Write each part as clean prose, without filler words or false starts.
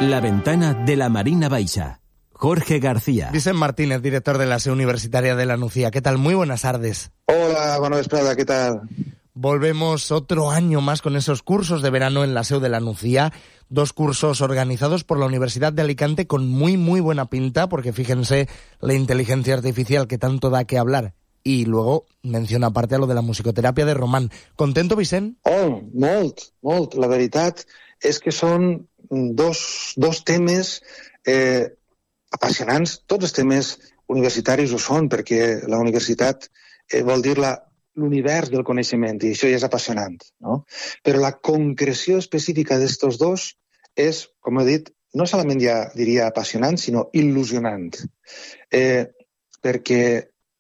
La ventana de la Marina Baixa. Jorge García. Vicent Martínez, director de la SEU Universitaria de la Nucía. ¿Qué tal? Muy buenas tardes. Hola, buenas tardes, ¿qué tal? Volvemos otro año más con esos cursos de verano en la SEU de la Nucía. 2 cursos organizados por la Universidad de Alicante con muy buena pinta, porque fíjense la inteligencia artificial que tanto da que hablar. Y luego menciona aparte a lo de la musicoteràpia de Román. ¿Contento, Vicent? Oh, molt. La veritat és que són dos temes apassionants. Tots els temes universitaris ho són, perquè la universitat vol dir l'univers del coneixement, i això ja és apassionant, no? Però la concreció específica d'estos dos és, com he dit, no solament ja diria apassionant, sinó il·lusionant. Perquè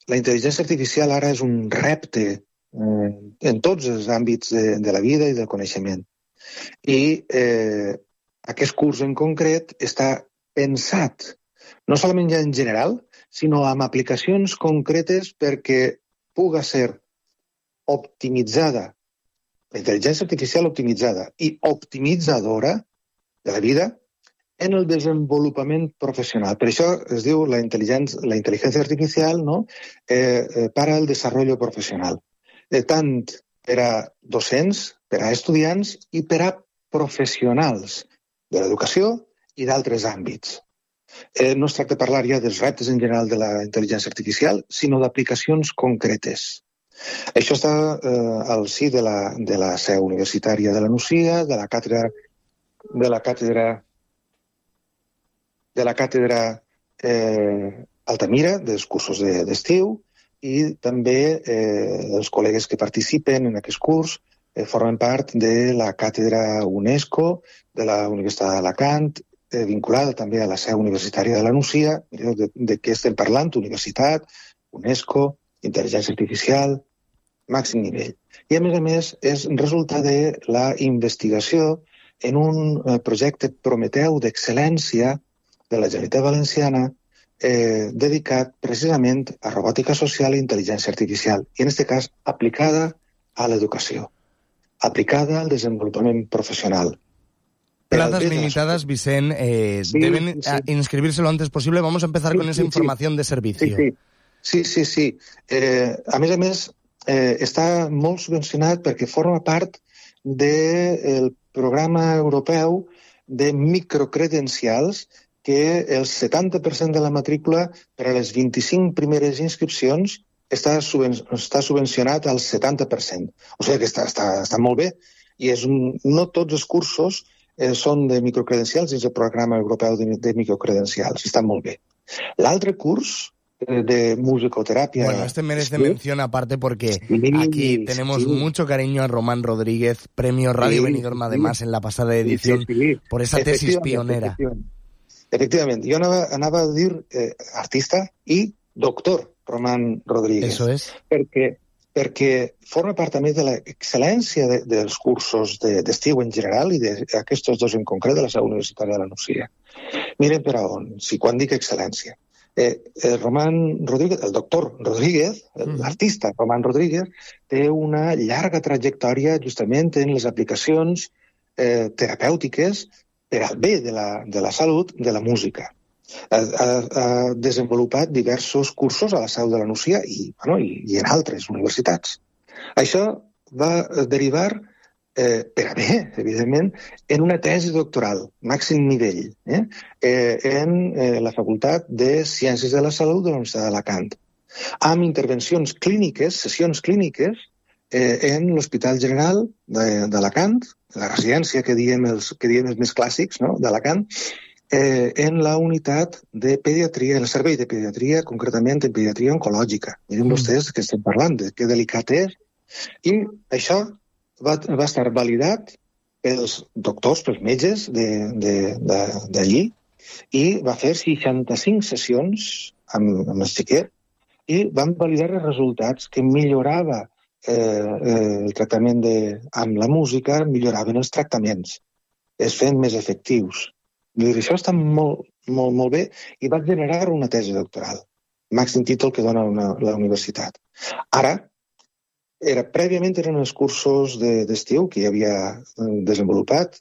la intel·ligència artificial ara és un repte en tots els àmbits de la vida i del coneixement. I aquest curs en concret està pensat no solament ja en general, sinó amb aplicacions concretes perquè puga ser optimitzada, la intel·ligència artificial optimitzada i optimitzadora de la vida en el desenvolupament professional. Per això es diu la intel·ligència artificial, no? Para el desarrollo professional. Tant per a docents, per a estudiants i per a professionals de l'educació i d'altres àmbits. No es tracta de parlar ja dels reptes en general de la intel·ligència artificial, sinó d'aplicacions concretes. Això està al si de la SEU Universitària de la Nucía, de la càtedra Altamira, dels cursos d'estiu, i també els col·legues que participen en aquest curs formen part de la càtedra UNESCO de la Universitat d'Alacant, vinculada també a la SEU Universitària de la Nucía. Mireu de què estem parlant: universitat, UNESCO, intel·ligència artificial, màxim nivell. I a més és resultat de la investigació en un projecte Prometeu d'excel·lència de la Generalitat Valenciana dedicat precisament a robòtica social i intel·ligència artificial, i en aquest cas aplicada a l'educació, aplicada al desenvolupament profesional. Plazas limitadas, Vicent, deben inscribirse lo antes posible. Vamos a empezar con esa información de servicio. Sí. A més, està molt subvencionat perquè forma part del programa europeu de microcredencials, que el 70% de la matrícula per a les 25 primeres inscripcions està subvencionat al 70%. O sigui que està molt bé. I no tots els cursos són de microcredencials dins el programa europeu de microcredencials. Està molt bé. L'altre curs de musicoteràpia... Bueno, este merece mención aparte porque aquí tenemos mucho cariño a Román Rodríguez, premio Radio Benidorm además en la pasada edición, por esa tesis pionera. Efectivament. Jo anava a dir artista i doctor Román Rodríguez. Eso es. Perquè forma part també de l'excel·lència dels cursos d'estiu en general i d'aquests dos en concret de la SEU Universitària de la Nucía. Miren per a on, quan dic excel·lència. Román Rodríguez, el doctor Rodríguez, l'artista Román Rodríguez, té una llarga trajectòria justament en les aplicacions terapèutiques per al bé de la salut de la música. Ha desenvolupat diversos cursos a la SEU de la Nucía i en altres universitats. Això va derivar, per a bé, evidentment, en una tesi doctoral, màxim nivell, en la Facultat de Ciències de la Salut de la Universitat d'Alacant, amb intervencions clíniques, sessions clíniques, en l'Hospital General d'Alacant, la residència que diem els més clàssics, no?, d'Alacant, en la unitat de pediatria, en el servei de pediatria, concretament en pediatria oncològica. Miren vostès que estem parlant, que delicat és. I això va estar validat pels doctors, pels metges d'allí, i va fer 65 sessions amb el xiquet i van validar els resultats que millorava el tractament amb la música, milloraven els tractaments, es feien més efectius. Això està molt bé i va generar una tesi doctoral, màxim títol que dona la universitat. Ara, prèviament eren els cursos d'estiu que ja havia desenvolupat